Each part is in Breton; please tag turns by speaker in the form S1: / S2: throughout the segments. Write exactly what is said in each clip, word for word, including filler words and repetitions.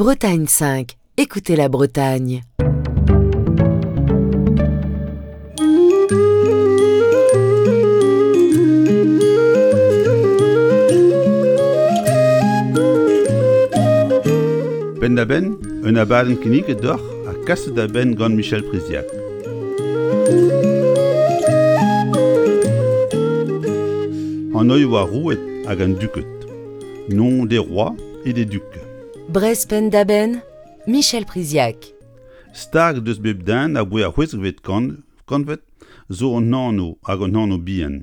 S1: Bretagne cinq, écoutez la Bretagne.
S2: Penn-da-benn, un abadenn kinniget deoc'h ha kaset da benn gant Michel Priziac. An oe oa roued hag an duked. Nom des rois et des ducs.
S1: Brest Penn-da-Benn, Michel Priziac.
S2: Stag deus bep den a boe ar c'hwezekvet kant, kantved zo an anv hag an anv bihan.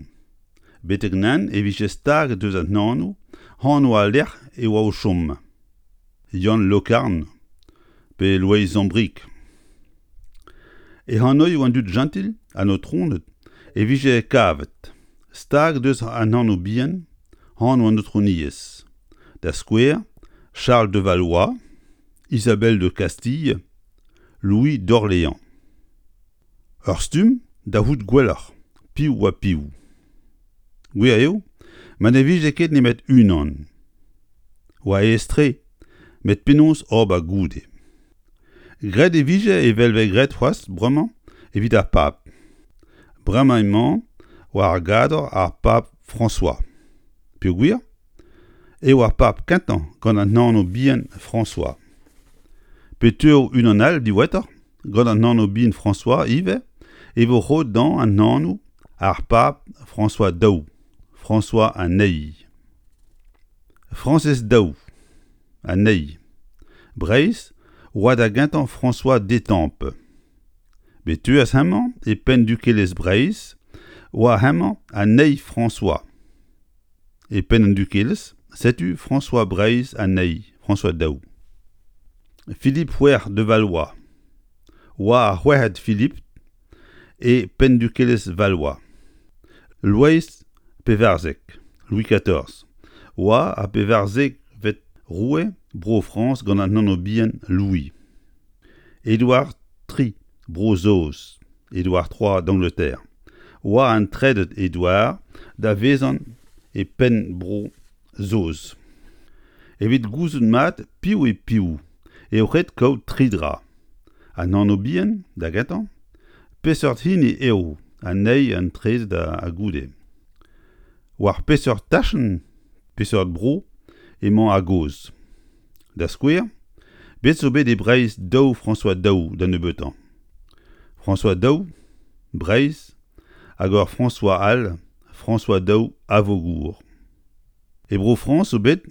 S2: Betek nan e vije stag deus an anv, anv al lec'h e oa o chom. Yann Lokarn pe Loeiz Zambric. E anv an dud gentil an aotroned e vije kavet. Stag deus an anv bihan, anv an aotrouniezh. Da skouer, Charles de Valois, Isabelle de Castille, Louis d'Orléans. Ur stumm da vout gwelloc'h, piv oa piv. Gwir eo, ma ne vije ket nemet unan. Oa aes-tre, met penaos ober goude. Graet e vije evel vez graet c'hoazh bremañ evit ar pab. Bremañ emañ war ar gador ar pab François. Peogwir eo ar pab kentañ gant an anv bihan François. Pe teuo unan all diwezhatoc'h gant an anv bihan François ivez e vo roet dezhañ an anv ar pab François daou, François an eil. Frañsez daou, an eil. Breizh oa da gentañ François d'Étampes. Bet teuas hemañ e penn dukelezh Breizh oa hemañ an eil François. E penn an dukelezh, setu François Breizh an eil, François daou. Philippe c'hwec'h de Valois oa ar c'hwec'hed Philippe e penn dukelezh Valois. Loeiz pevarzek, Louis quatorze, oa ar pevarzekvet roue Bro-Frañs gant an anv bihan Louis. Édouard tri, Bro-Saoz, Édouard trois d'Angleterre, oa an trede Édouard da vezañ e penn Bro-Saoz. Evit gouzout mat piv eo piv eo ret kaout tri dra. An anv bihan, da gentañ, peseurt hini eo an eil an trede da goude. War peseurt tachenn, peseurt bro emañ a-gozh. Da skouer, bet zo bet e Breizh daou François daou da nebeutañ. François daou, Breizh, hag ur François all, François daou Avaugour. E Bro-Frañs zo bet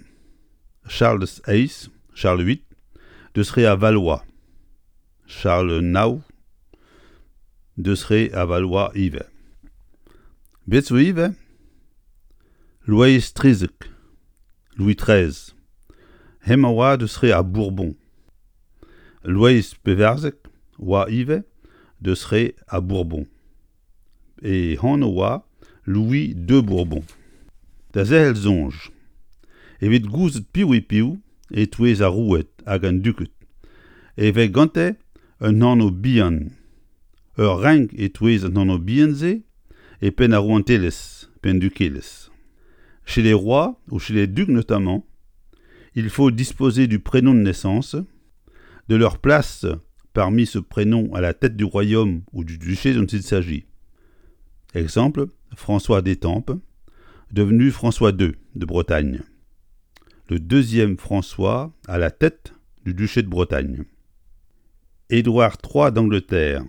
S2: Charles eizh, Charles huit, deus re a Valois. Charles nav, deus re a Valois ivez. Bet zo ivez Loeiz trizek, Louis treize. Hemañ oa deus re ar Bourbon. Loeiz pevarzek oa ivez deus re ar Bourbon. E anv oa Louis de Bourbon. Da zerc'hel soñj. Evit gouzout piv eo piv e-touez ar roueed hag an duked, e vez gante un anv bihan. Ur renk e-touez an anv bihan-se e penn ar rouantelezh, penn dukelezh. Chez les rois ou chez les ducs notamment, il faut disposer du prénom de naissance, de leur place parmi ce prénom à la tête du royaume ou du duché dont il s'agit. Exemple, François d'Étampes, devenu François deux de Bretagne. Le deuxième François à la tête du duché de Bretagne. Édouard trois d'Angleterre,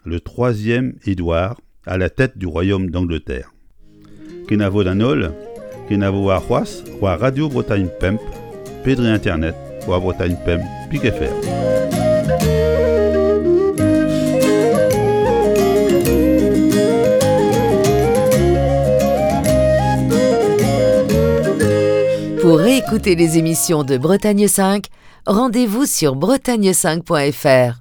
S2: le troisième Édouard à la tête du royaume d'Angleterre. Kenavo d'an holl, kenavo ar c'hoazh, war Radio Bretagne pemp, pe dre internet, war Bretagne pemp, pik F R.
S1: Pour réécouter les émissions de Bretagne cinq, rendez-vous sur bretagne cinq point F R.